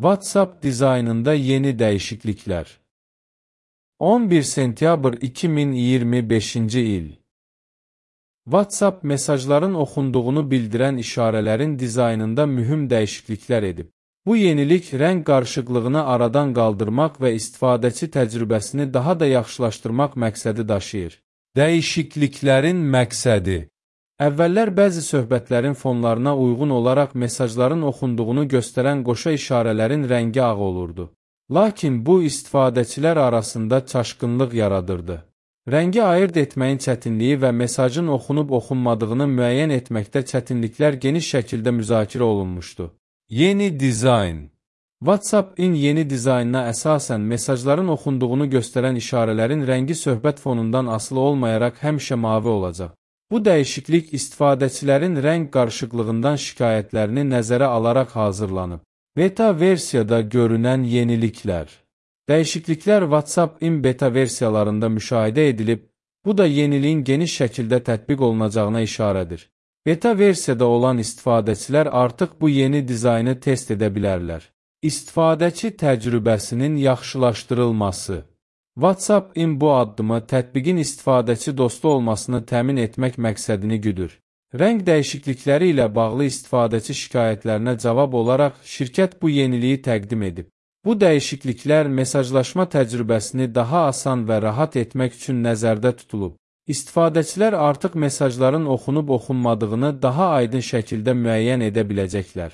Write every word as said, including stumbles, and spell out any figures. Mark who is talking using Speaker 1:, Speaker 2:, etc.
Speaker 1: WhatsApp dizaynında yeni dəyişikliklər. on bir sentyabr iki min iyirmi beşinci il. WhatsApp mesajların oxunduğunu bildirən işarələrin dizaynında mühüm dəyişikliklər edib. Bu yenilik rəng qarışıqlığını aradan qaldırmaq və istifadəçi təcrübəsini daha da yaxşılaşdırmaq məqsədi daşıyır. Dəyişikliklərin məqsədi. Əvvəllər bəzi söhbətlərin fonlarına uyğun olaraq mesajların oxunduğunu göstərən qoşa işarələrin rəngi ağ olurdu. Lakin bu istifadəçilər arasında çaşqınlıq yaradırdı. Rəngi ayırd etməyin çətinliyi və mesajın oxunub-oxunmadığını müəyyən etməkdə çətinliklər geniş şəkildə müzakirə olunmuşdu. Yeni dizayn. WhatsApp-in yeni dizaynına əsasən mesajların oxunduğunu göstərən işarələrin rəngi söhbət fonundan asılı olmayaraq həmişə mavi olacaq. Bu dəyişiklik istifadəçilərin rəng qarışıqlığından şikayətlərini nəzərə alaraq hazırlanıb. Beta versiyada görünən yeniliklər. Dəyişikliklər WhatsApp-in beta versiyalarında müşahidə edilib, bu da yeniliyin geniş şəkildə tətbiq olunacağına işarədir. Beta versiyada olan istifadəçilər artıq bu yeni dizaynı test edə bilərlər. İstifadəçi təcrübəsinin yaxşılaşdırılması. WhatsApp-in bu addımı tətbiqin istifadəçi dostu olmasını təmin etmək məqsədini güdür. Rəng dəyişiklikləri ilə bağlı istifadəçi şikayətlərinə cavab olaraq şirkət bu yeniliyi təqdim edib. Bu dəyişikliklər mesajlaşma təcrübəsini daha asan və rahat etmək üçün nəzərdə tutulub. İstifadəçilər artıq mesajların oxunub-oxunmadığını daha aydın şəkildə müəyyən edə biləcəklər.